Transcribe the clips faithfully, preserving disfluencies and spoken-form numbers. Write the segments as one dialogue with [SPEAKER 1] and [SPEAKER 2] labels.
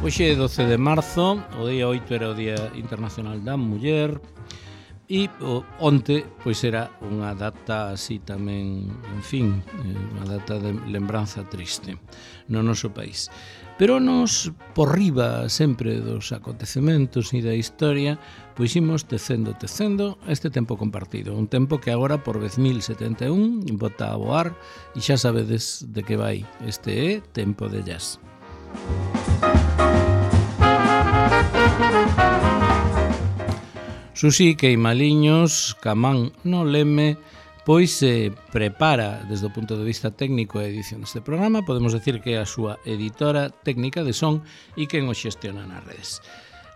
[SPEAKER 1] Hoxe é doce de marzo, o día oito era o Día Internacional da Muller e o, onte pois era unha data así tamén, en fin, unha data de lembranza triste no noso país. Pero nos, por riba sempre dos acontecementos e da historia, pois imos tecendo, tecendo este tempo compartido. Un tempo que agora por dez mil setenta e un bota a voar e xa sabedes de que vai. Este é Tempo de Jazz. Susi Queimaliños, Camán no Leme, pois se prepara desde o punto de vista técnico a edición deste programa. Podemos decir que é a súa editora técnica de son e quen o xestiona nas redes.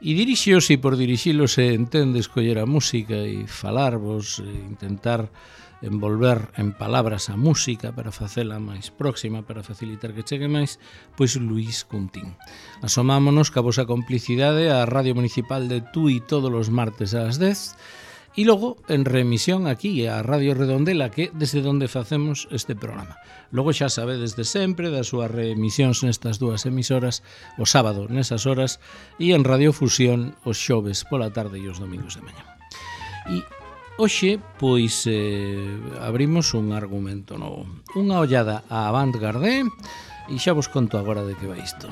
[SPEAKER 1] E dirixíos, e por dirixilos se entende escoller a música e falarvos, e intentar envolver en palabras a música para facela máis próxima, para facilitar que chegue máis, pois Luís Cuntín. Asomámonos ca vosa complicidade á Radio Municipal de Tui todos os martes ás dez e logo en remisión aquí a Radio Redondela, que desde onde facemos este programa. Logo xa sabedes de sempre das súas reemisións nestas dúas emisoras o sábado nesas horas e en Radio Fusión os xoves pola tarde e os domingos de mañá. E hoxe, pois, eh, abrimos un argumento novo. Unha ollada á avant-garde e xa vos conto agora de que vai isto.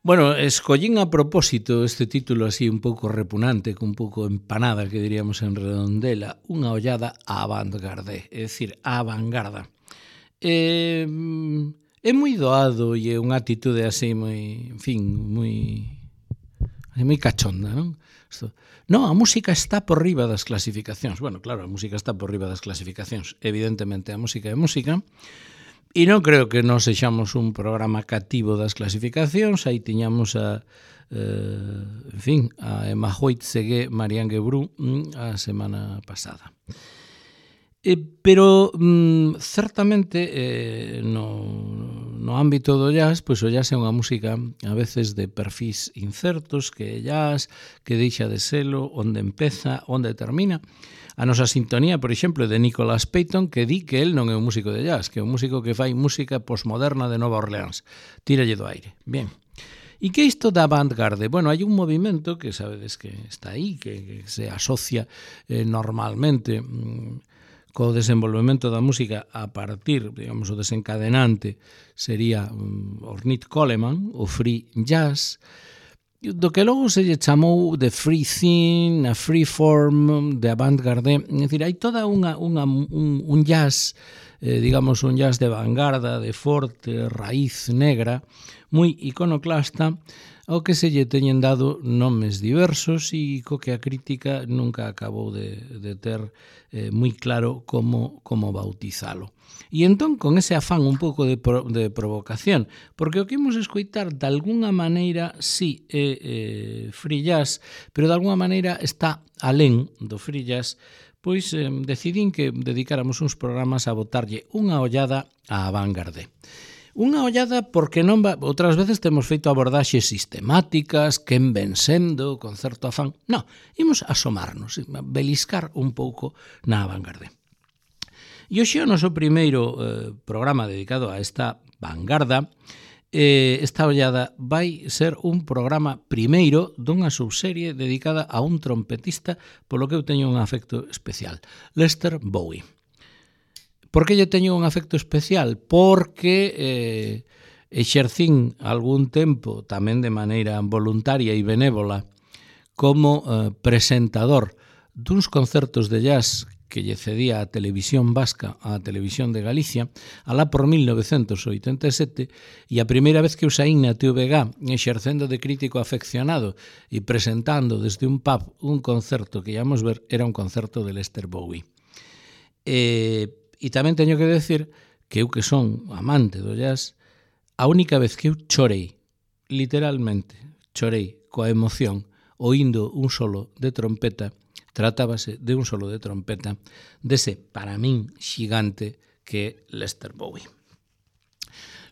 [SPEAKER 1] Bueno, escollín a propósito este título así un pouco repugnante, un pouco empanada, que diríamos en Redondela, unha ollada á avant-garde, é dicir, á vanguarda. É, é moi doado e é unha atitude así moi, en fin, moi, moi cachonda, non? Isto, no, a música está por riba das clasificacións. Bueno, claro, a música está por riba das clasificacións. Evidentemente, a música é música. E non creo que non sexamos un programa cativo das clasificacións. Aí tiñamos a, eh, en fin, a Emma Hoyt Segué, Marianne Gebrú a semana pasada. Eh, pero, mm, certamente, eh, no, no ámbito do jazz, pois o jazz é unha música a veces de perfis incertos, que é jazz, que deixa de selo, onde empeza, onde termina. A nosa sintonía, por exemplo, de Nicholas Payton, que di que el non é un músico de jazz, que é un músico que fai música posmoderna de Nova Orleans. Tíralle do aire. Bien. E que é isto da avant-garde? Bueno, hai un movimento que sabedes que está aí, que, que se asocia eh, normalmente mmm, co desenvolvemento da música a partir, digamos, o desencadenante sería um, Ornette Coleman, o free jazz, do que logo se lle chamou de free thing, a free form, de avant-garde. É dicir, hai toda unha, unha, un, un jazz, eh, digamos, un jazz de vanguarda, de forte, raíz negra, moi iconoclasta, ao que se lle teñen dado nomes diversos e co que a crítica nunca acabou de, de ter eh, moi claro como, como bautizalo. E entón, con ese afán un pouco de, pro, de provocación, porque o que imos escoitar de alguna maneira sí é eh, free jazz, pero de alguna maneira está alén do free jazz, pois eh, decidín que dedicáramos uns programas a botarlle unha ollada á vanguarde. Unha ollada porque non va... Outras veces temos feito abordaxes sistemáticas, quen ven sendo, con certo afán. Non, imos asomarnos, beliscar un pouco na vanguarde. E hoxe o noso primeiro eh, programa dedicado a esta vanguarda, eh, esta ollada vai ser un programa primeiro dunha subserie dedicada a un trompetista polo que eu teño un afecto especial, Lester Bowie. Por que lle teño un afecto especial? Porque eh, exercín algún tempo, tamén de maneira voluntaria e benévola, como eh, presentador duns concertos de jazz que lle cedía a Televisión Vasca á Televisión de Galicia, alá por mil novecentos oitenta e sete, e a primeira vez que eu saín na T V G exercendo de crítico afeccionado e presentando desde un pub un concerto que íamos ver, era un concerto de Lester Bowie. E, e tamén teño que decir que eu que son amante do jazz, a única vez que eu chorei, literalmente chorei coa emoción, oindo un solo de trompeta, tratábase de un solo de trompeta dese, para min, xigante que é Lester Bowie.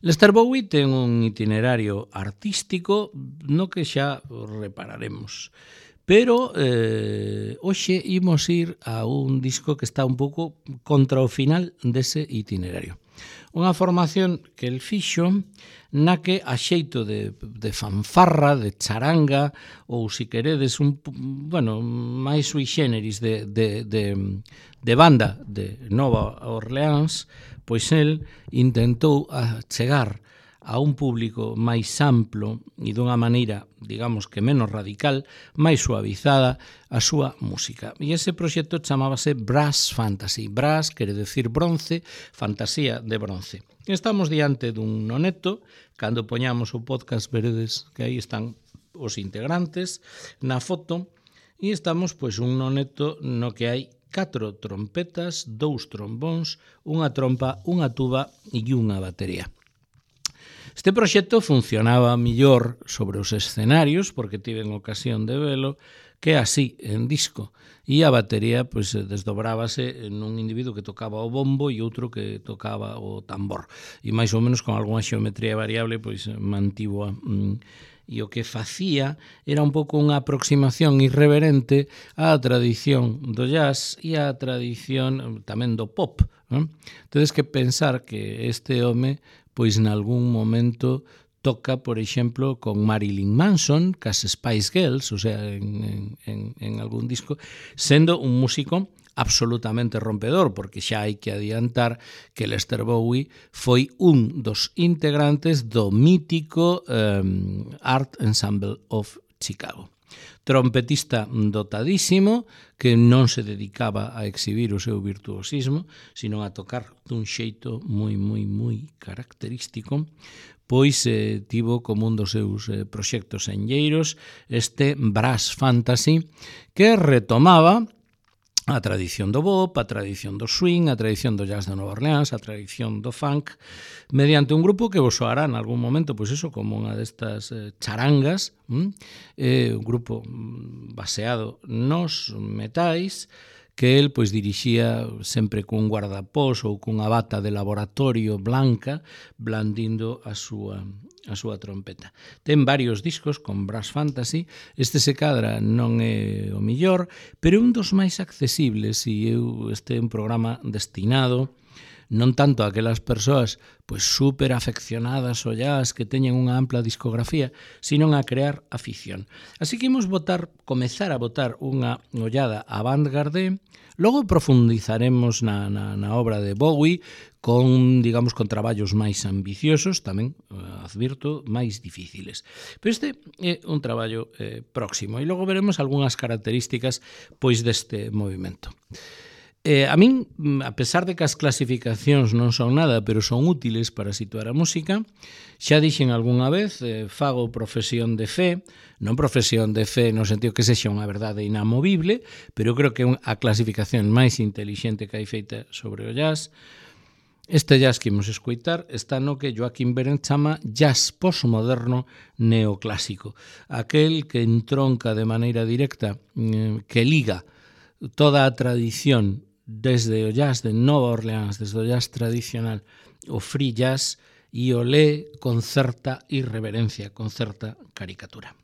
[SPEAKER 1] Lester Bowie ten un itinerario artístico no que xa repararemos, pero eh, hoxe imos ir a un disco que está un pouco contra o final dese itinerario. Unha formación que el fixo na que a xeito de, de fanfarra, de charanga, ou se queredes un, bueno, máis sui generis de, de, de, de banda de Nova Orleans, pois el intentou chegar a un público máis amplo e dunha maneira, digamos que menos radical, máis suavizada a súa música. E ese proxecto chamábase Brass Fantasy. Brass quere decir bronce, fantasía de bronce. Estamos diante dun noneto, cando poñamos o podcast veredes que aí están os integrantes na foto, e estamos pois un noneto no que hai catro trompetas, dous trombóns, unha trompa, unha tuba e unha batería. Este proxecto funcionaba millor sobre os escenarios, porque tiven ocasión de velo, que así, en disco. E a batería pois, desdobrábase nun individuo que tocaba o bombo e outro que tocaba o tambor. E máis ou menos con algunha xeometría variable, pois mantivo a... Mm, e o que facía era un pouco unha aproximación irreverente á tradición do jazz e á tradición tamén do pop. Non? Tedes que pensar que este home pois nalgún momento toca, por exemplo, con Marilyn Manson, cas Spice Girls, o sea, en, en, en algún disco, sendo un músico absolutamente rompedor, porque xa hai que adiantar que Lester Bowie foi un dos integrantes do mítico um, Art Ensemble of Chicago. Trompetista dotadísimo que non se dedicaba a exhibir o seu virtuosismo, sino a tocar dun xeito moi, moi, moi característico, pois eh, tivo como un dos seus eh, proxectos enlleiros este Brass Fantasy que retomaba a tradición do bop, a tradición do swing, a tradición do jazz de Nova Orleans, a tradición do funk, mediante un grupo que vos soará en algún momento, pois eso, como unha destas eh, charangas, hm? eh, un grupo baseado nos metais, que el pois dirixía sempre cun guardapós ou cunha bata de laboratorio blanca, blandindo a súa a súa trompeta. Ten varios discos con Brass Fantasy, este se cadra non é o millor, pero é un dos máis accesibles e eu este é un programa destinado non tanto a aquelas persoas pois super afeccionadas ao jazz que teñen unha ampla discografía, sino a crear afición. Así que imos botar, comezar a botar unha ollada a Avantgarde, logo profundizaremos na, na, na obra de Bowie con, digamos, con traballos máis ambiciosos, tamén, advirto, máis difíciles. Pero este é un traballo eh, próximo e logo veremos algunhas características pois deste movimento. Eh, a min, a pesar de que as clasificacións non son nada, pero son útiles para situar a música, xa dixen algunha vez, eh, fago profesión de fe, non profesión de fe no sentido que sexa unha verdade inamovible, pero creo que é a clasificación máis intelixente que hai feita sobre o jazz. Este jazz que imos escoitar está no que Joaquín Berendt chama jazz postmoderno neoclásico, aquel que entronca de maneira directa, eh, que liga toda a tradición desde o jazz de Nova Orleans, desde o jazz tradicional, o free jazz, e o lé con certa irreverencia, con certa caricatura.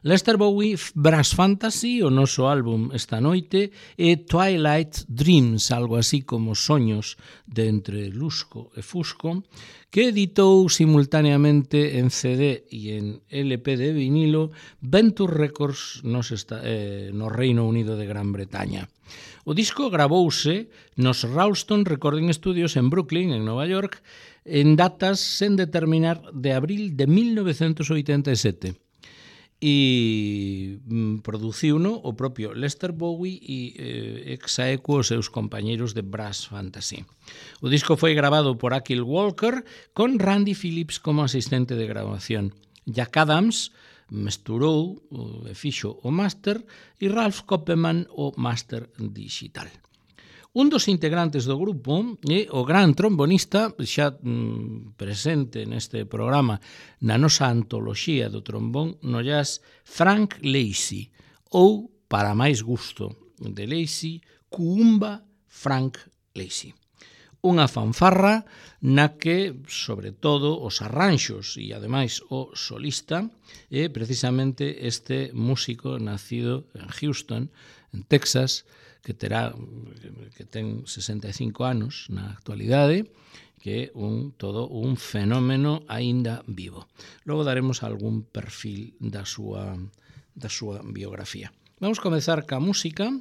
[SPEAKER 1] Lester Bowie, Brass Fantasy, o noso álbum esta noite, e Twilight Dreams, algo así como soños de entre lusco e fusco, que editou simultaneamente en C D e en L P de vinilo Venture Records nos esta, eh, no Reino Unido de Gran Bretaña. O disco gravouse nos Ralston Recording Studios en Brooklyn, en Nova York, en datas sen determinar de abril de mil novecentos oitenta e sete. E mm, produciuno o propio Lester Bowie e eh, exaequo os seus compañeiros de Brass Fantasy. O disco foi grabado por Akil Walker con Randy Phillips como asistente de grabación. Jack Adams mesturou e fixo o máster e Ralph Koppelman o máster digital. Un dos integrantes do grupo é o gran trombonista, xa mm, presente neste programa na nosa antoloxía do trombón no jazz, Frank Lacy, ou, para máis gusto de Lacy, Kuumba Frank Lacy. Unha fanfarra na que, sobre todo, os arranxos e, ademais, o solista é precisamente este músico nacido en Houston, en Texas, que terá que ten sesenta e cinco anos na actualidade, que é un, todo un fenómeno aínda vivo. Logo daremos algún perfil da súa, da súa biografía. Vamos comezar ca música,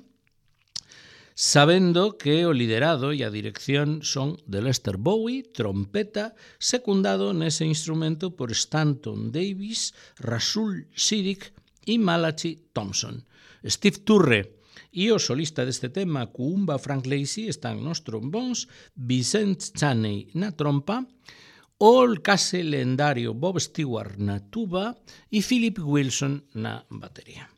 [SPEAKER 1] sabendo que o liderado e a dirección son de Lester Bowie, trompeta, secundado nese instrumento por Stanton Davis, Rasul Siddiq e Malachi Thompson. Steve Turre e o solista deste tema, Kuumba Frank Lacey, están nos trombóns, Vincent Chaney na trompa, o case lendario Bob Stewart na tuba e Philip Wilson na batería.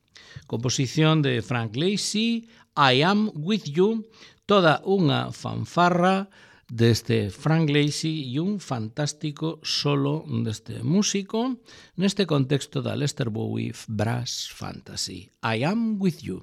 [SPEAKER 1] Composición de Frank Lacey, I Am With You, toda unha fanfarra deste Frank Lacey e un fantástico solo deste músico neste contexto da Lester Bowie Brass Fantasy. I Am With You.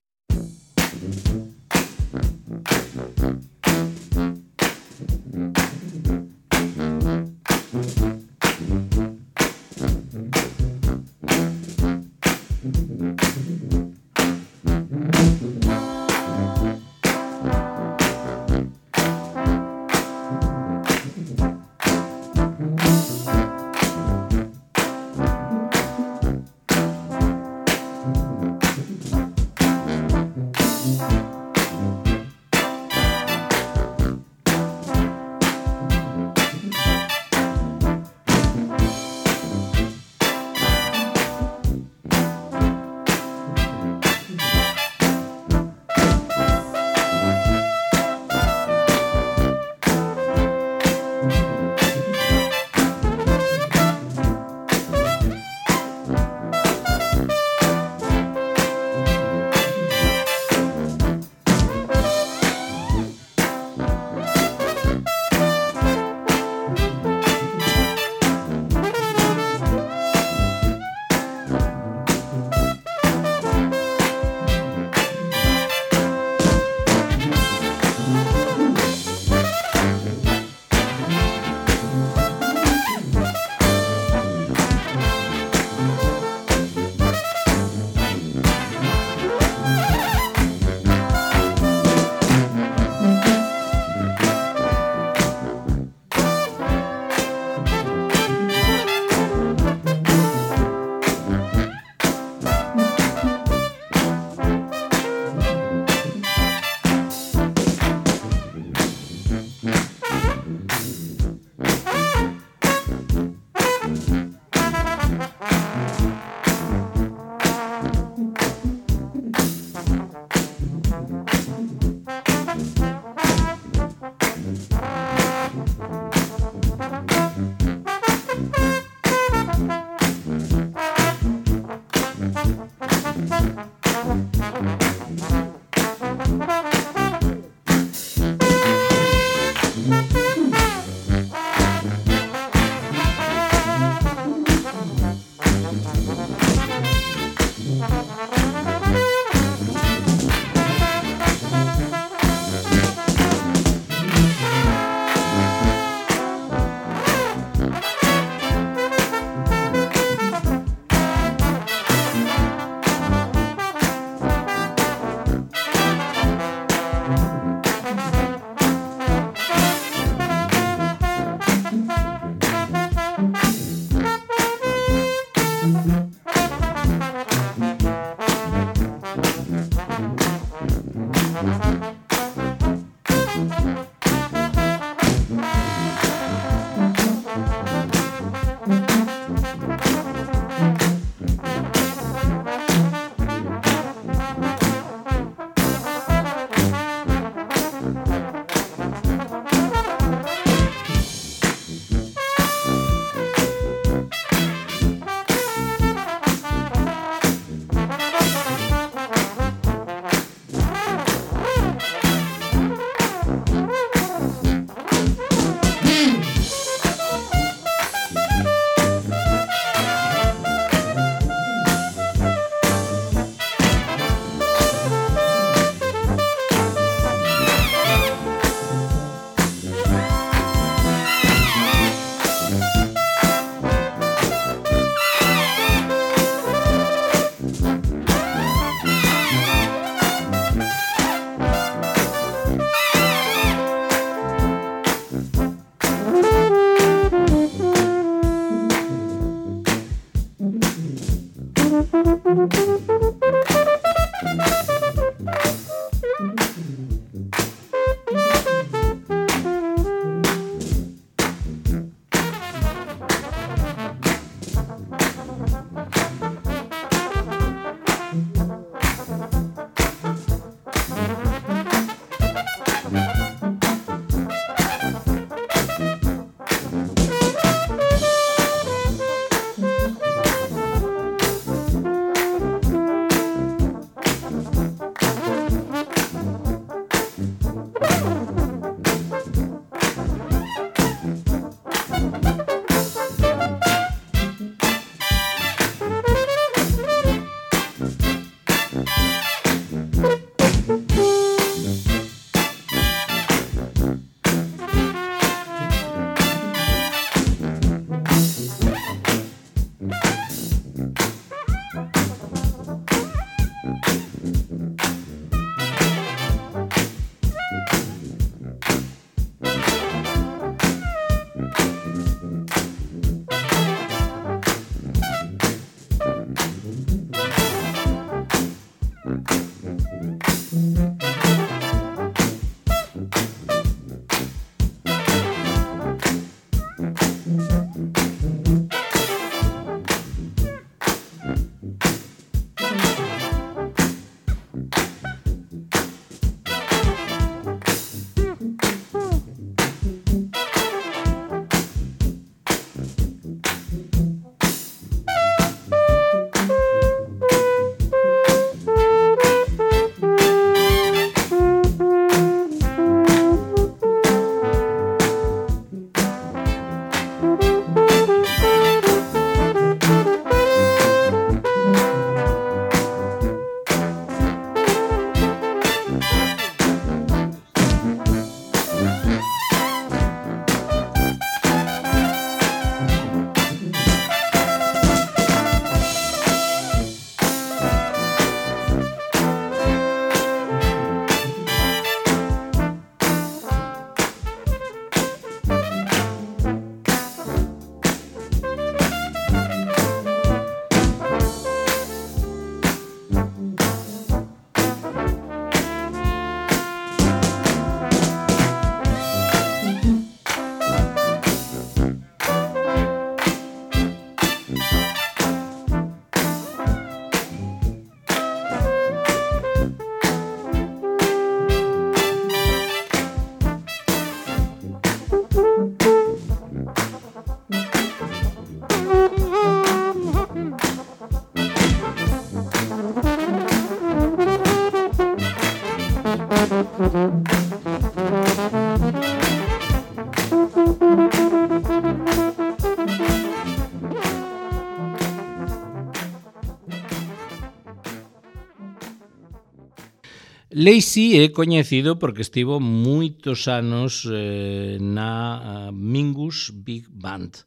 [SPEAKER 1] Lacy é coñecido porque estivo moitos anos eh, na Mingus Big Band.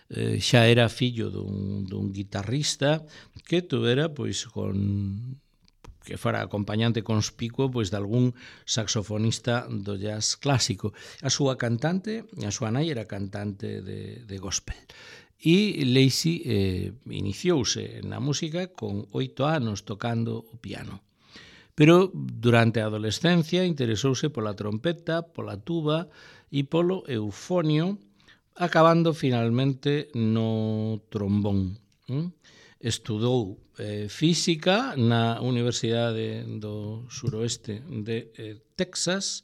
[SPEAKER 1] Eh, xa era fillo dun, dun guitarrista que tuvera, pois, con que fora acompañante conspicuo pois de algún saxofonista do jazz clásico. A súa cantante, a súa nai era cantante de, de gospel. E Lacy eh, iniciouse na música con oito anos tocando o piano. Pero durante a adolescencia interesouse pola trompeta, pola tuba e polo eufonio, acabando finalmente no trombón. Estudou eh, física na Universidade do Suroeste de eh, Texas,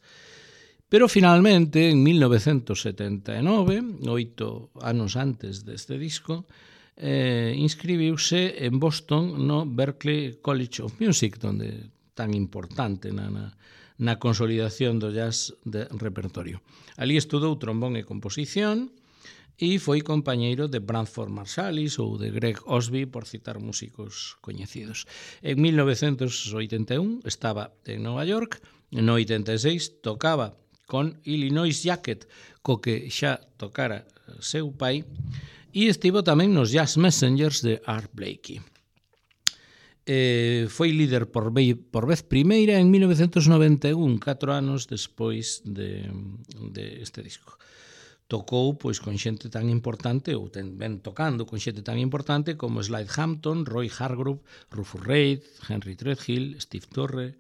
[SPEAKER 1] pero finalmente, en mil novecentos setenta e nove, oito anos antes deste disco, eh, inscribiuse en Boston no Berklee College of Music, donde tan importante na, na, na consolidación do jazz de repertorio. Ali estudou trombón e composición e foi compañeiro de Branford Marsalis ou de Greg Osby, por citar músicos coñecidos. En mil novecentos oitenta e un estaba en Nova York, no oitenta e seis tocaba con Illinois Jacket, co que xa tocara seu pai, e estivo tamén nos Jazz Messengers de Art Blakey. Eh, foi líder por, ve, por vez primeira en mil novecentos noventa e un, catro anos despois de, de este disco. tocou pois con xente tan importante ou ten, ven tocando con xente tan importante como Slade Hampton, Roy Hargrove, Rufus Reid, Henry Threadgill, Steve Torre,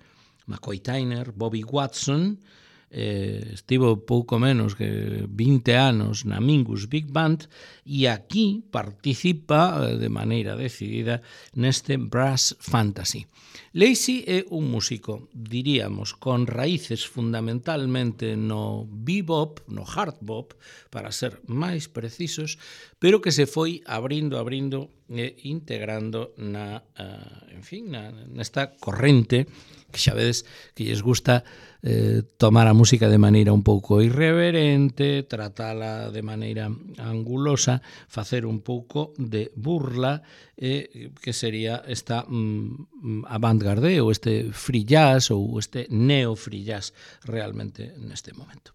[SPEAKER 1] McCoy Tyner, Bobby Watson. Eh, estivo pouco menos que vinte anos na Mingus Big Band e aquí participa de maneira decidida neste Brass Fantasy. Lacey é un músico, diríamos, con raíces fundamentalmente no bebop, no hard bop, para ser máis precisos, pero que se foi abrindo, abrindo e integrando na, uh, en fin, na, nesta corrente que xa vedes que lles gusta eh, tomar a música de maneira un pouco irreverente, tratala de maneira angulosa, facer un pouco de burla, eh, que sería esta mm, avant-garde ou este free jazz ou este neo-free jazz realmente neste momento.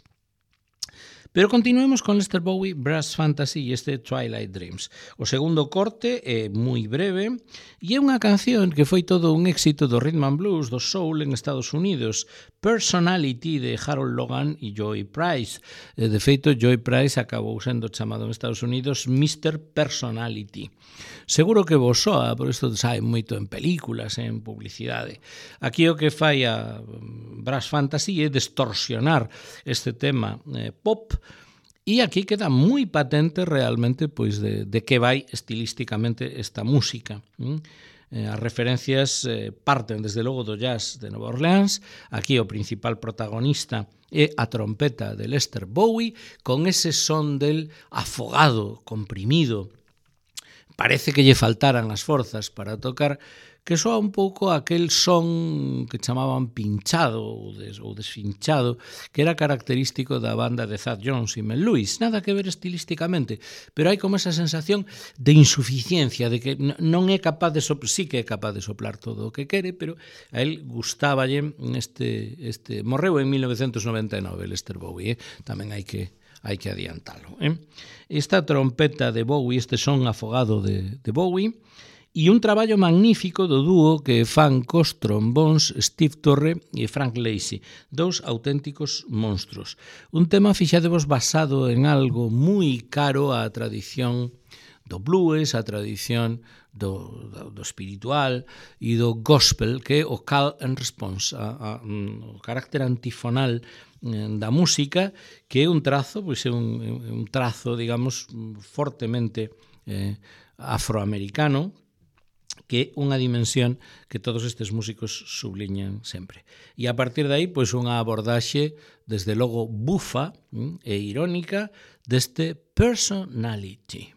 [SPEAKER 1] Pero continuemos con Lester Bowie, Brass Fantasy e este Twilight Dreams. O segundo corte é moi breve e é unha canción que foi todo un éxito do rhythm and blues, do soul en Estados Unidos. Personality de Harold Logan e Joy Price. De feito, Joy Price acabou sendo chamado en Estados Unidos mister Personality. Seguro que vos soa, por isto sabe moito en películas, en publicidade. Aquí o que fai a Brass Fantasy é distorsionar este tema eh, pop. E aquí queda moi patente realmente pois de, de que vai estilísticamente esta música. Mm? Eh, as referencias eh, parten desde logo do jazz de Nova Orleans. Aquí o principal protagonista é a trompeta de Lester Bowie con ese son del afogado, comprimido. Parece que lle faltaran as forzas para tocar, que soa un pouco aquel son que chamaban pinchado ou, des, ou desfinchado, que era característico da banda de Thad Jones e Mel Lewis. Nada que ver estilísticamente, pero hai como esa sensación de insuficiencia, de que non é capaz de soplar, sí que é capaz de soplar todo o que quere, pero a él gustáballe este, este morreu en mil novecentos noventa e nove, Lester Bowie, eh? Tamén hai que hai que adiantalo. Eh? Esta trompeta de Bowie, este son afogado de, de Bowie, e un traballo magnífico do dúo que fan cos trombóns Steve Torre e Frank Lacey, dous auténticos monstruos. Un tema, fixadevos, basado en algo moi caro á tradición do blues, a tradición do, do, do espiritual e do gospel, que é o call and response, a, a, o carácter antifonal da música, que é un trazo, pois é un, un trazo, digamos, fortemente eh, afroamericano, que é unha dimensión que todos estes músicos subliñan sempre. E a partir de aí, pois unha abordaxe, desde logo bufa e irónica, deste Personality.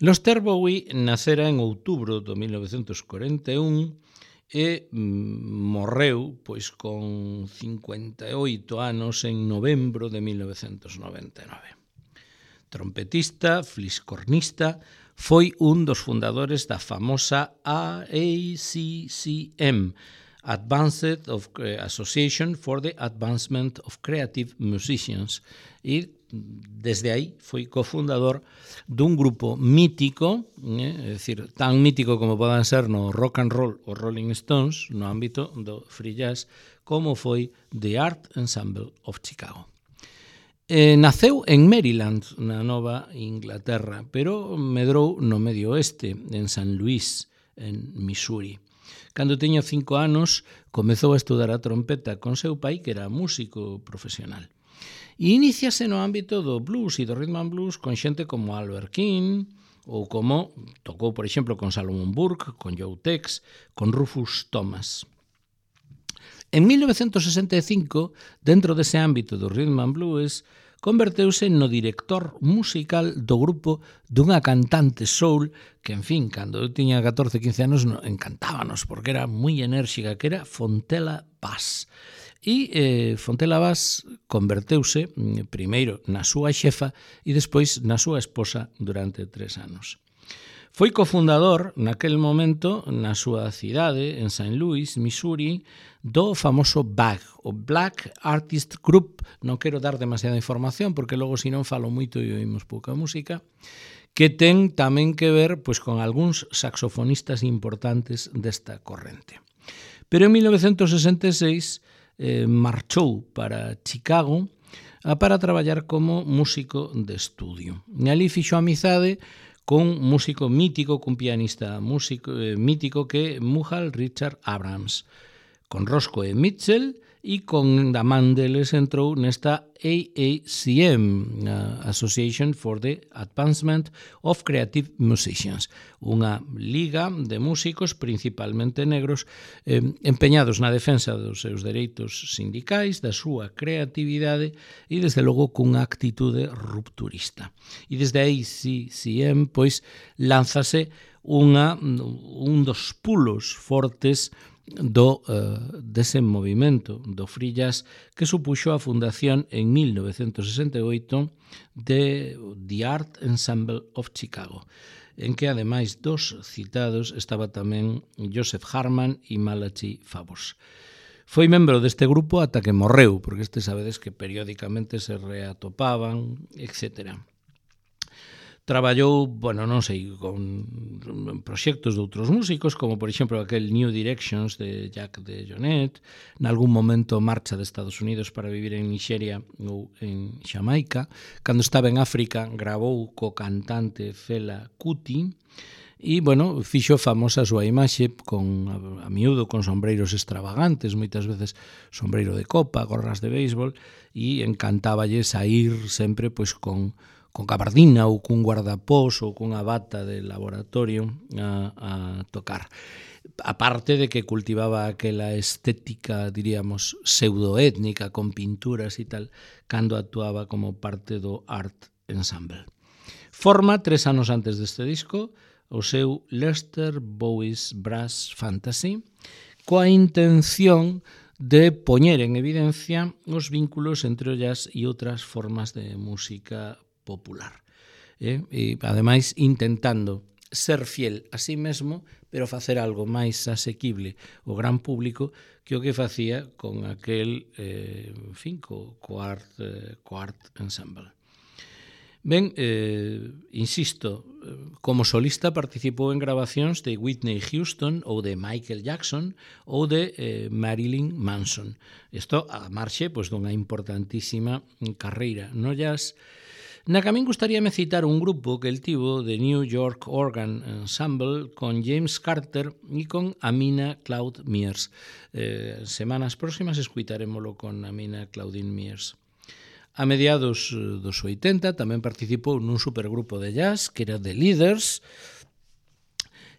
[SPEAKER 1] Lester Bowie nacera en outubro do mil novecentos corenta e un e morreu pois con cincuenta e oito anos en novembro de mil novecentos noventa e nove. Trompetista, fliscornista, foi un dos fundadores da famosa A C C M, Advanced of Association for the Advancement of Creative Musicians, e desde aí foi cofundador dun grupo mítico, eh, é dicir, tan mítico como podan ser no rock and roll os Rolling Stones, no ámbito do free jazz, como foi The Art Ensemble of Chicago. Eh, naceu en Maryland, na Nova Inglaterra, pero medrou no medio oeste, en San Luis, en Missouri. Cando tiña cinco anos, comezou a estudar a trompeta con seu pai, que era músico profesional. E iníciase no ámbito do blues e do rhythm and blues con xente como Albert King, ou como tocou, por exemplo, con Solomon Burke, con Joe Tex, con Rufus Thomas. En mil novecentos sesenta e cinco, dentro dese ámbito do rhythm and blues, converteuse no director musical do grupo dunha cantante soul que, en fin, cando eu tiña catorce, quince anos, encantábanos, porque era moi enérxica, que era Fontella Bass. E eh, Fontella Bass converteuse primeiro na súa xefa e despois na súa esposa durante tres anos. Foi cofundador naquel momento na súa cidade, en Saint Louis, Missouri, do famoso B A G, o Black Artist Group. Non quero dar demasiada información porque logo se non falo moito e oímos pouca música, que ten tamén que ver pois con algúns saxofonistas importantes desta corrente. Pero en mil novecentos sesenta e seis eh, marchou para Chicago a para traballar como músico de estudio. E ali fixo amizade con músico mítico, cun pianista músico eh, mítico que é Muhal Richard Abrams, con Roscoe Mitchell e con da man deles entrou nesta A A C M, uh, Association for the Advancement of Creative Musicians, unha liga de músicos principalmente negros eh, empeñados na defensa dos seus dereitos sindicais, da súa creatividade e desde logo cunha actitude rupturista. E desde A A C M pois lánzase unha, un dos pulos fortes do uh, dese movimento do free jazz que supuxo a fundación en mil novecentos sesenta e oito de The Art Ensemble of Chicago, en que ademais dos citados estaba tamén Joseph Harman e Malachi Favors. Foi membro deste grupo ata que morreu, porque este sabedes que periódicamente se reatopaban, etcétera. Traballou, bueno, non sei, con proxectos de outros músicos, como por exemplo aquel New Directions de Jack de Jonet, nalgún momento marcha de Estados Unidos para vivir en Nixeria ou en Xamaica. Cando estaba en África gravou co cantante Fela Kuti e, bueno, fixo famosa a súa imaxe con, a, a miúdo con sombreiros extravagantes, moitas veces sombreiro de copa, gorras de béisbol, e encantáballe saír sempre pois con con gabardina ou cun guardapós ou cunha bata de laboratorio a, a tocar. Aparte de que cultivaba aquela estética, diríamos, pseudoétnica, con pinturas e tal, cando actuaba como parte do Art Ensemble. Forma, tres anos antes deste disco, o seu Lester Bowie's Brass Fantasy, coa intención de poñer en evidencia os vínculos entre o jazz e outras formas de música popular. Eh? E, ademais, intentando ser fiel a sí mesmo, pero facer algo máis asequible ao gran público que o que facía con aquel, eh, en fin, co, co, art, eh, co art ensemble. Ben, eh, insisto, como solista participou en grabacións de Whitney Houston ou de Michael Jackson ou de eh, Marilyn Manson. Isto a marxe pois, dunha importantísima carreira no jazz, na que a min gustaríame citar un grupo que el tivo de New York Organ Ensemble con James Carter e con Amina Cloud Mears. Eh, semanas próximas escuitarémolo con Amina Claudine Mears. A mediados dos oitenta tamén participou nun supergrupo de jazz que era The Leaders,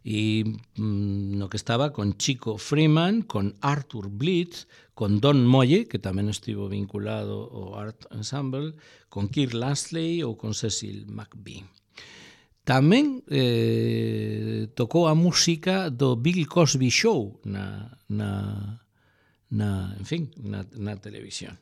[SPEAKER 1] e mm, no que estaba con Chico Freeman, con Arthur Blitz, con Don Moye, que tamén estivo vinculado ao Art Ensemble, con Kirk Lansley ou con Cecil McBee. tamén eh, tocou a música do Bill Cosby Show na, na, na, en fin, na, na televisión.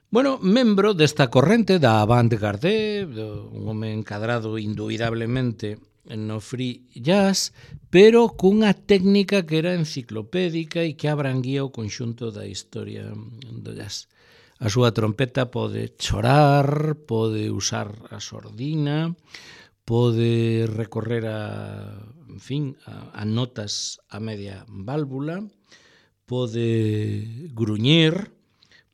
[SPEAKER 1] Bueno, membro desta corrente da avant-garde, un home encadrado indubidablemente no free jazz, pero cunha técnica que era enciclopédica e que abranguía o conxunto da historia do jazz. A súa trompeta pode chorar, pode usar a sordina, pode recorrer a, en fin, a, a notas a media válvula, pode gruñir,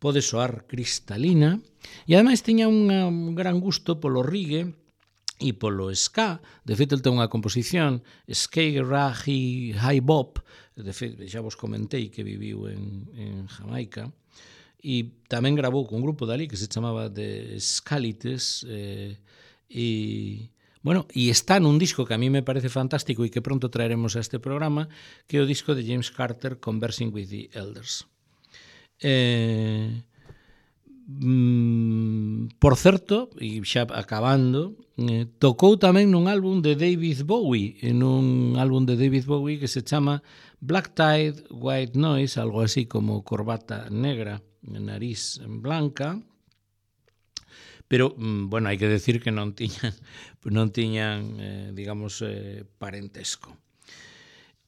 [SPEAKER 1] pode soar cristalina, e ademais tiña unha, un gran gusto polo reggae e polo ska. De feito, ele ten unha composición ska, reggae, high bop, de feito, xa vos comentei que viviu en, en Jamaica, e tamén grabou con un grupo dali que se chamaba The Scalites, eh, e, bueno, e está nun disco que a mí me parece fantástico e que pronto traeremos a este programa, que é o disco de James Carter, Conversing with the Elders. Eh, mm, por certo, e xa acabando, eh, tocou tamén nun álbum de David Bowie, en un álbum de David Bowie que se chama Black Tie, White Noise, algo así como corbata negra, nariz blanca, pero, bueno, hai que decir que non tiñan, non tiñan eh, digamos, eh, parentesco.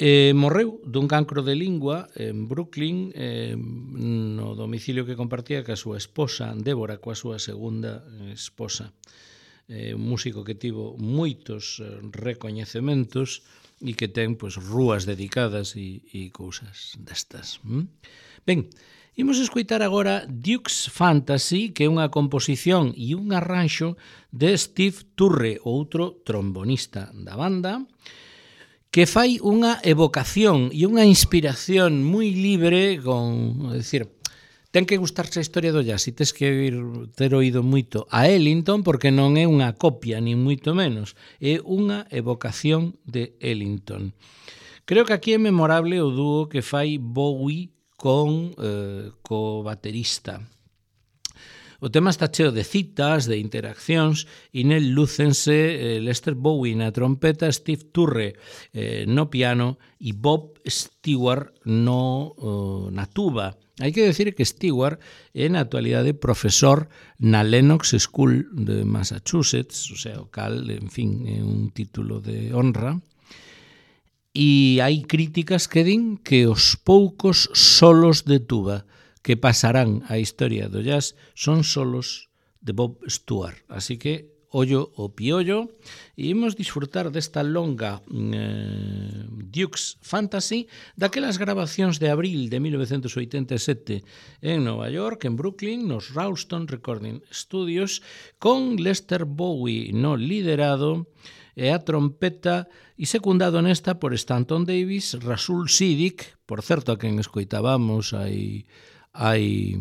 [SPEAKER 1] Eh, morreu dun cancro de lingua en Brooklyn, eh, no domicilio que compartía ca súa esposa, Débora, coa súa segunda esposa. Eh, un músico que tivo moitos recoñecementos e que ten, pois, rúas dedicadas e, e cousas destas. ¿Mm? Ben, imos escoitar agora Duke's Fantasy, que é unha composición e un arranxo de Steve Turre, outro trombonista da banda, que fai unha evocación e unha inspiración moi libre con, é dicir, ten que gustarse a historia do jazz e tes que ir, ter oído moito a Ellington, porque non é unha copia, nin moito menos, é unha evocación de Ellington. Creo que aquí é memorable o dúo que fai Bowie con eh, co baterista. O tema está cheo de citas, de interaccións, e nel lúcense eh, Lester Bowie na trompeta, Steve Turre eh, no piano e Bob Stewart no, oh, na tuba. Hai que decir que Stewart é na actualidade profesor na Lenox School de Massachusetts, o sea, o cal, en fin, é un título de honra. E hai críticas que din que os poucos solos de tuba que pasarán a historia do jazz son solos de Bob Stewart. Así que, ollo o piollo, e imos disfrutar desta longa eh, Duke's Fantasy, daquelas grabacións de abril de mil novecentos oitenta e sete en Nova York, en Brooklyn, nos Ralston Recording Studios, con Lester Bowie no liderado, e a trompeta, e secundado nesta por Stanton Davis, Rasul Siddiq, por certo, a quen escoitábamos aí hai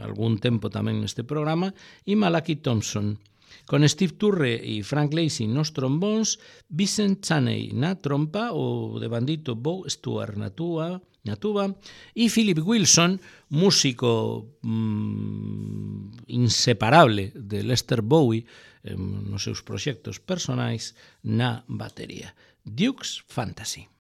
[SPEAKER 1] algún tempo tamén neste programa, e Malachi Thompson, con Steve Turre e Frank Lacy nos trombóns, Vincent Chaney na trompa, o de bandito Bob Stewart na tuba, na tuba, e Philip Wilson, músico mmm, inseparable de Lester Bowie eh, nos seus proxectos personais, na batería. Duke's Fantasy.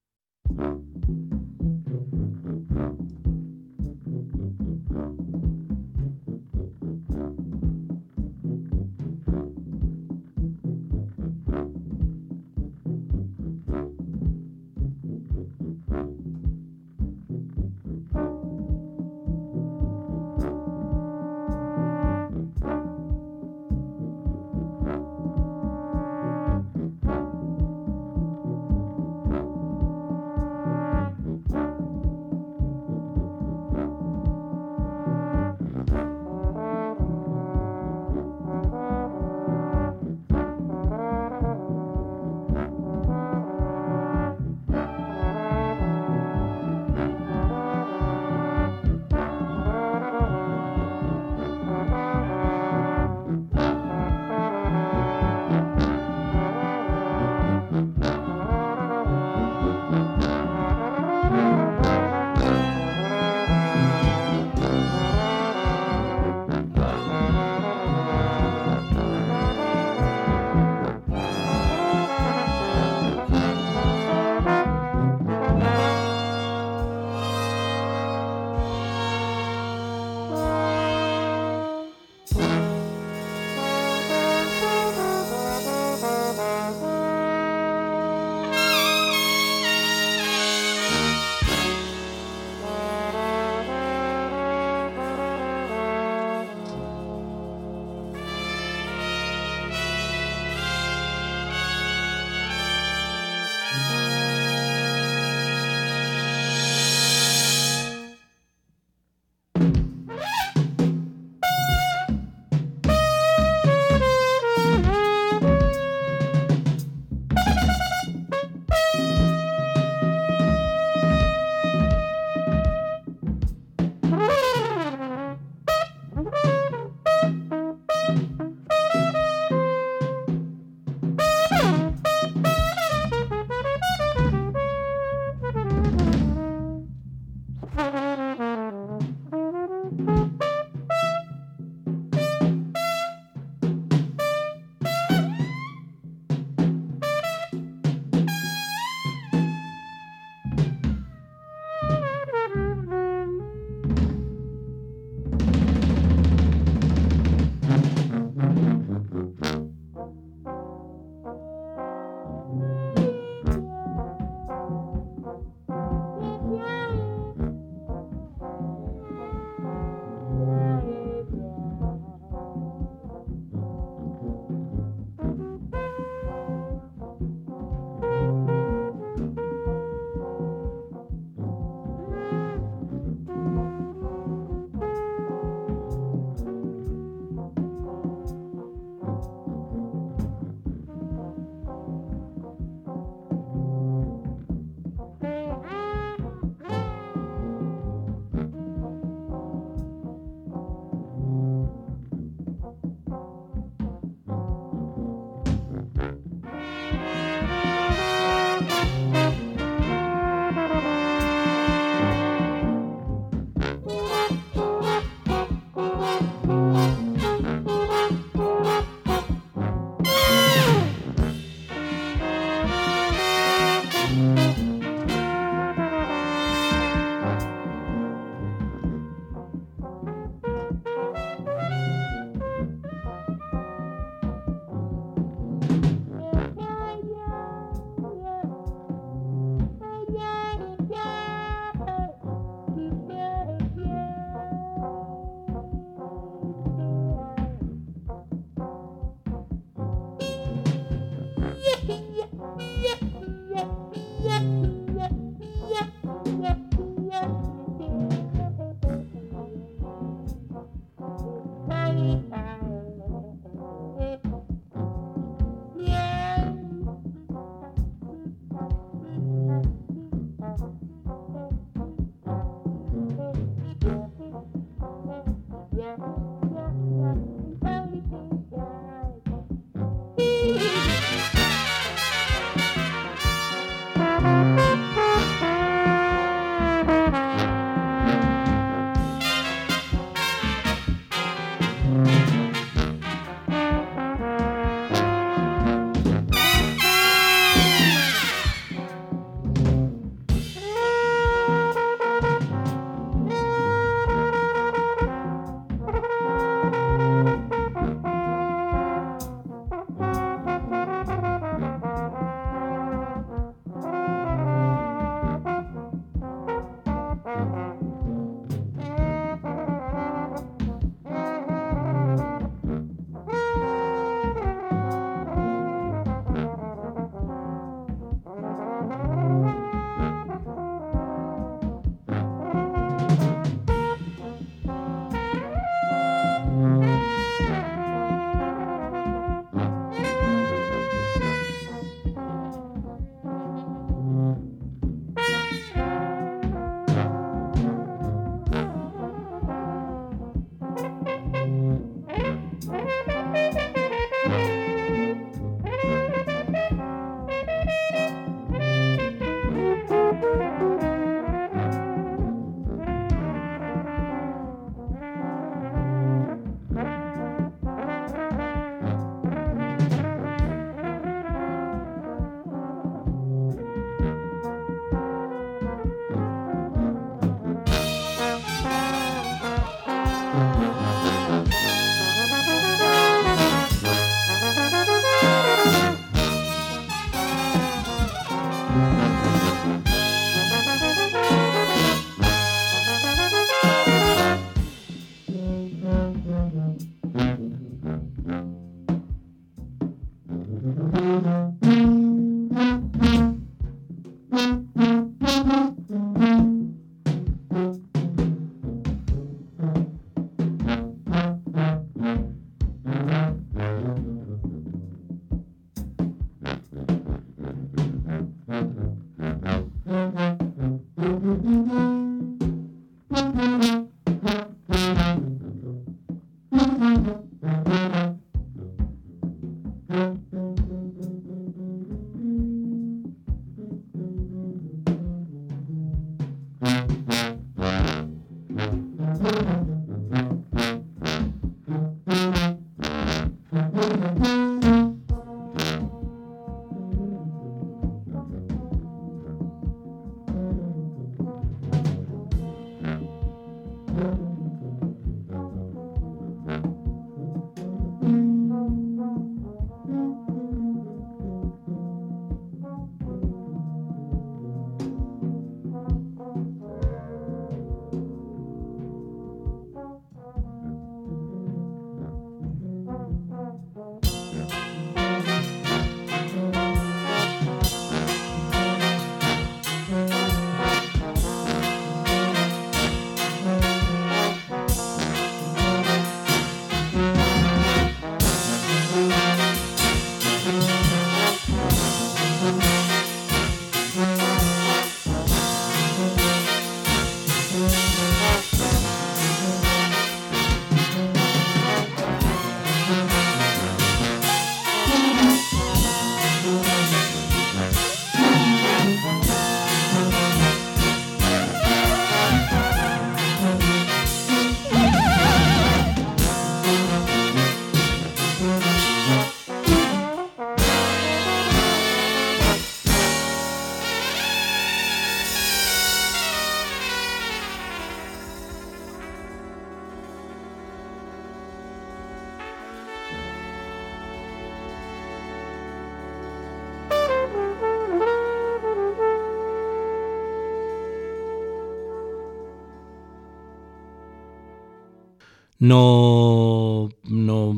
[SPEAKER 1] No, no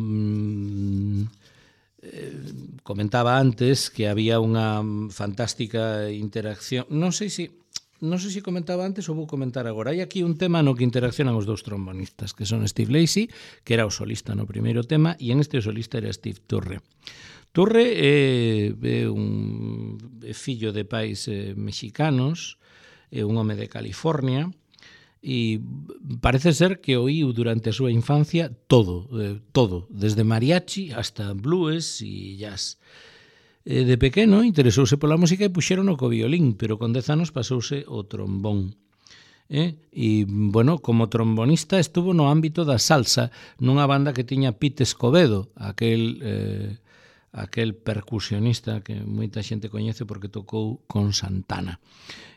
[SPEAKER 1] comentaba antes que había unha fantástica interacción, non sei se non sei se comentaba antes ou vou comentar agora. Hai aquí un tema no que interaccionan os dous trombonistas, que son Steve Lacy, que era o solista no primeiro tema, e en este o solista era Steve Turre. Turre é, é un é fillo de pais eh, mexicanos, é un home de California, e parece ser que oíu durante a súa infancia todo, eh, todo, desde mariachi hasta blues e jazz. Eh, de pequeno interesouse pola música e puxeron o co violín, pero con dez anos pasouse o trombón. Eh? E, bueno, como trombonista estuvo no ámbito da salsa nunha banda que tiña Pete Escobedo, aquel, eh, aquel percusionista que moita xente coñece porque tocou con Santana.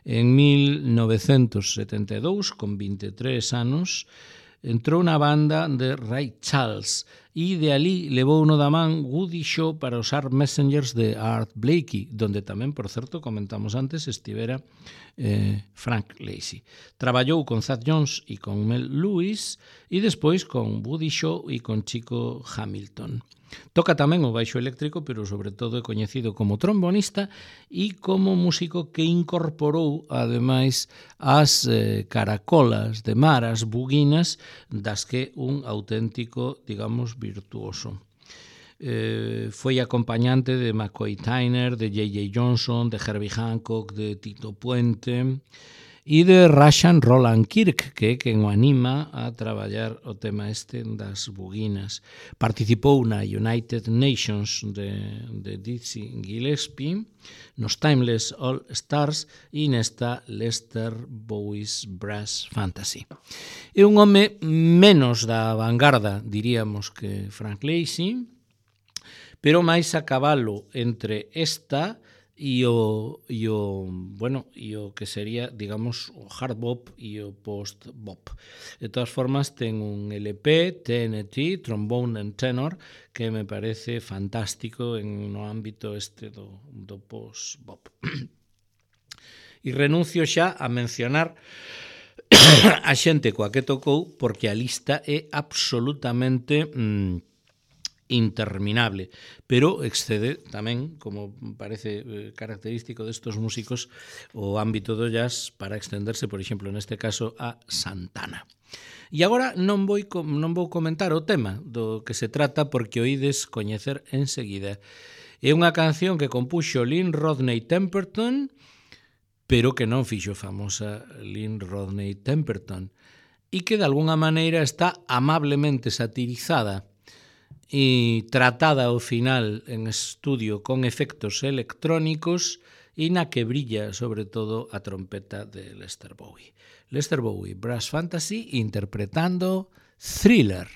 [SPEAKER 1] En mil novecentos setenta e dous, con vinte e tres anos, entrou na banda de Ray Charles e de ali levou uno da man Woody Shaw para os Art Messengers de Art Blakey, donde tamén, por certo, comentamos antes, estivera eh, Frank Lacy. Traballou con Thad Jones e con Mel Lewis e despois con Woody Shaw e con Chico Hamilton. Toca tamén o baixo eléctrico, pero sobre todo é coñecido como trombonista e como músico que incorporou, ademais, as eh, caracolas de mar, as buguinas, das que un auténtico, digamos, virtuoso. Eh, foi acompañante de McCoy Tyner, de J J Johnson, de Herbie Hancock, de Tito Puente e de Rashan Roland Kirk, que é quen o anima a traballar o tema este das buguinas. Participou na United Nations de, de Dizzy Gillespie, nos Timeless All Stars e nesta Lester Bowie's Brass Fantasy. É un home menos da vanguarda, diríamos, que Frank Lacy, pero máis a cabalo entre esta e o, e o, bueno, e o que sería, digamos, o hard bop e o post bop. De todas formas, ten un L P, T N T, Trombone and Tenor, que me parece fantástico en no ámbito este do, do post bop. E renuncio xa a mencionar a xente coa que tocou, porque a lista é absolutamente mmm, interminable, pero excede tamén, como parece característico destos músicos, o ámbito do jazz para extenderse, por exemplo, neste caso, a Santana. E agora non vou, non vou comentar o tema do que se trata porque o ides coñecer enseguida. É unha canción que compuxo Lynn Rodney Temperton, pero que non fixo famosa Lynn Rodney Temperton, e que de alguna maneira está amablemente satirizada e tratada ao final en estudio con efectos electrónicos e na que brilla sobre todo a trompeta de Lester Bowie. Lester Bowie, Brass Fantasy, interpretando Thriller.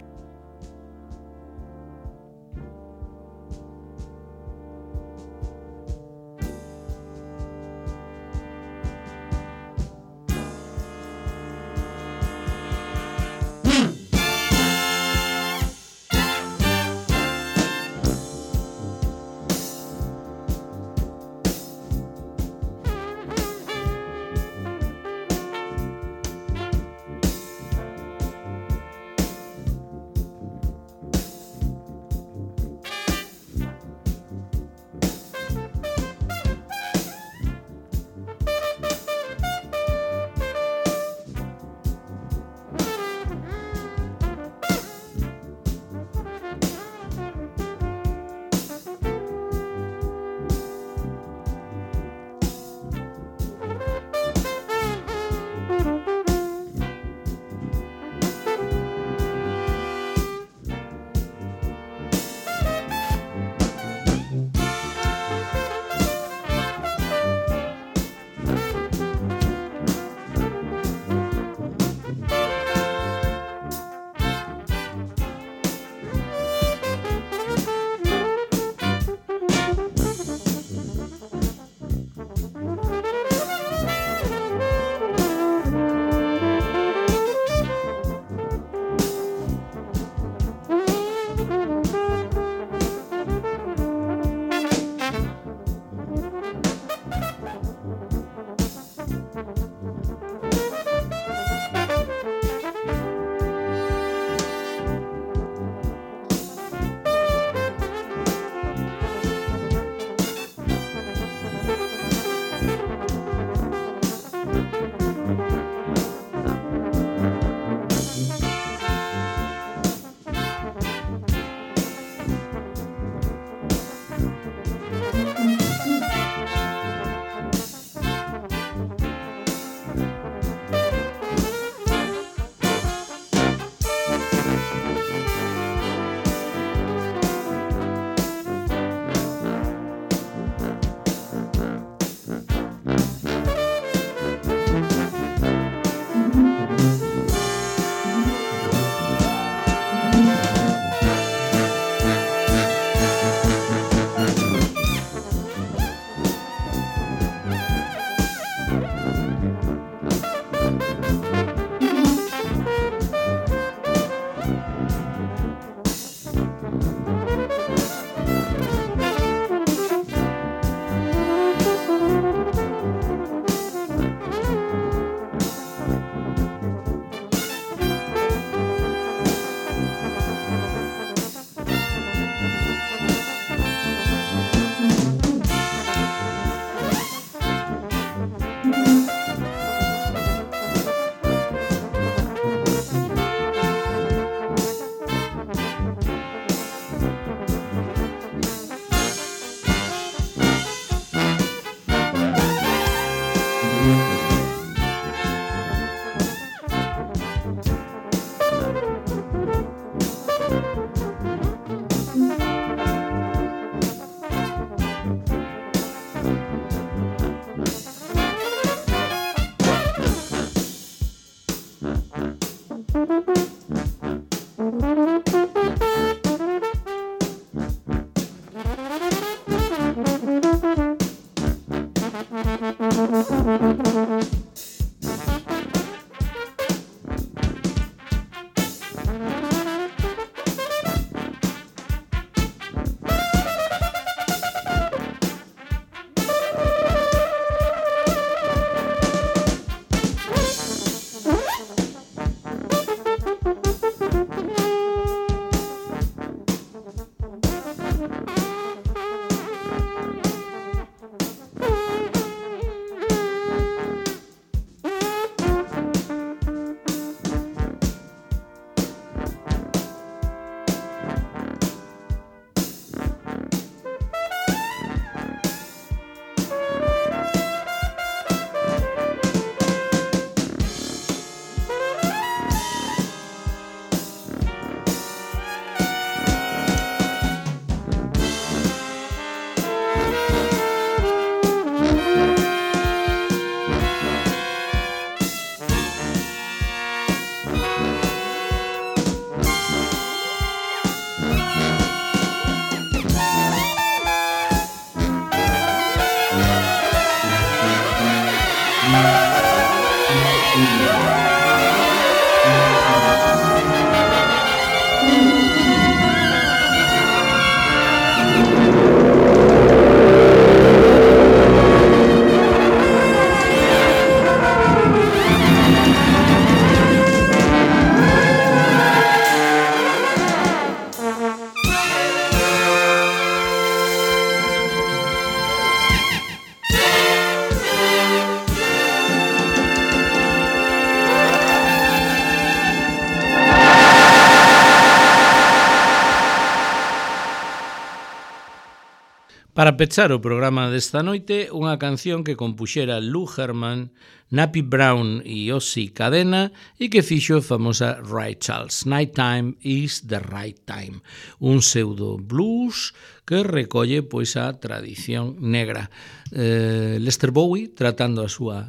[SPEAKER 1] Para pechar o programa desta noite, unha canción que compuxera Lou Herman, Nappy Brown e Ozzy Cadena e que fixo a famosa Ray Charles. Nighttime is the right time. Un pseudo blues que recolle pois a tradición negra. Eh, Lester Bowie, tratando a súa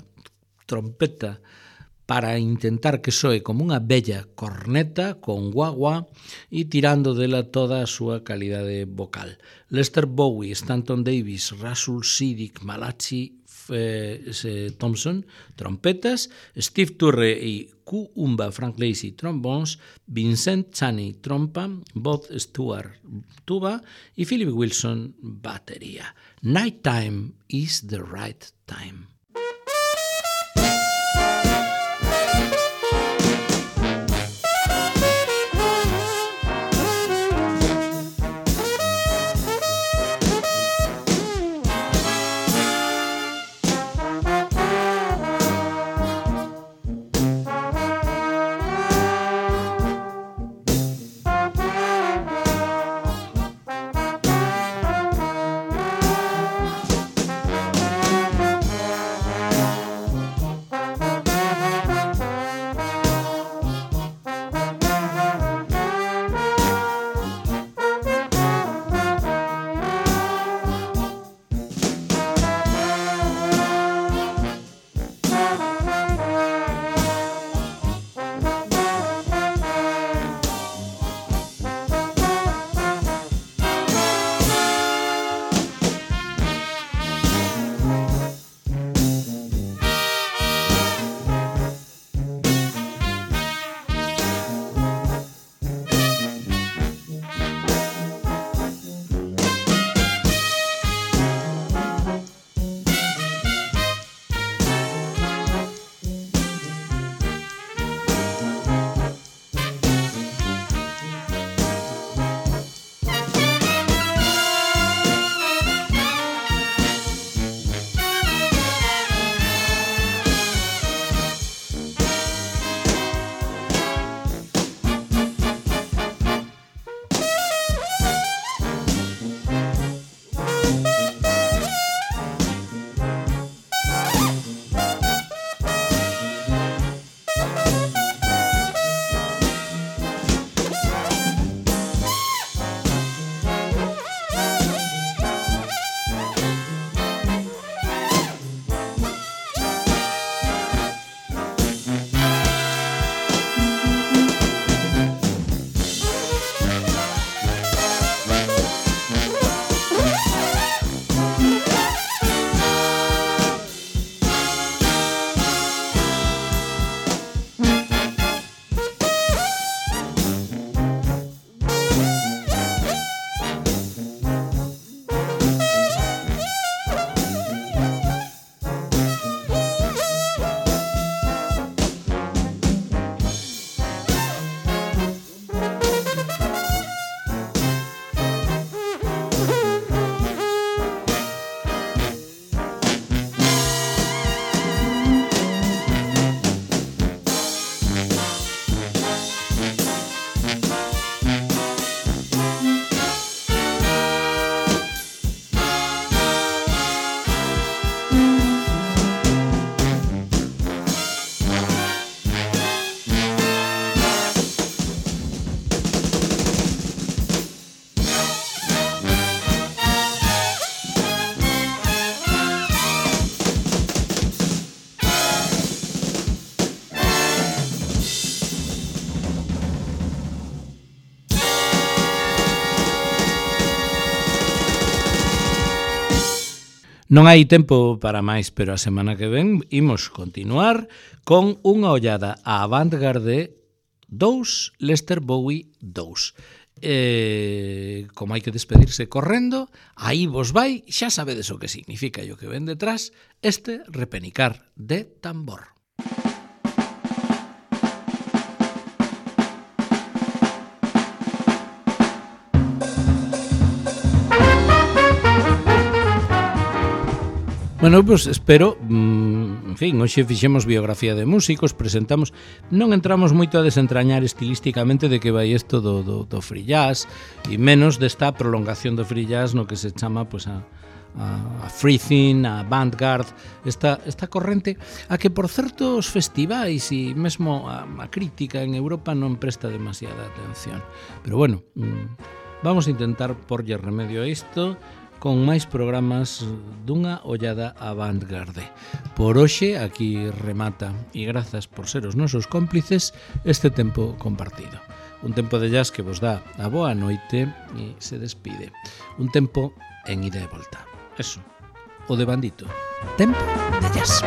[SPEAKER 1] trompeta para intentar que soe como unha bella corneta con guagua e tirando dela toda a súa calidade vocal. Lester Bowie, Stanton Davis, Russell Siddick, Malachi eh, Thompson, trompetas, Steve Turre e Q Umba Frank Lacey, trombones, Vincent Chaney, trompa, Bob Stewart, tuba e Philip Wilson, batería. Nighttime is the right time.
[SPEAKER 2] Non hai tempo para máis, pero a semana que ven imos continuar con unha ollada á Avantgarde dous, Lester Bowie dous. Eh, como hai que despedirse correndo, aí vos vai, xa sabedes o que significa e o que ven detrás, este repenicar de tambor. Bueno, pois pues espero, en fin, hoxe fixemos biografía de músicos, presentamos, non entramos moito a desentrañar estilísticamente de que vai isto do, do, do free jazz, e menos desta prolongación do free jazz no que se chama, pois, pues, a
[SPEAKER 1] a, a Freething, a Vanguard, esta, esta corrente a que, por certo, os festivais e mesmo a, a crítica en Europa non presta demasiada atención. Pero bueno, vamos a intentar porlle remedio a isto con máis programas dunha ollada a vanguarde. Por hoxe, aquí remata, e grazas por ser os nosos cómplices, este tempo compartido. Un tempo de jazz que vos dá a boa noite e se despide. Un tempo en ida e volta. Eso, o de bandito. Tempo de jazz.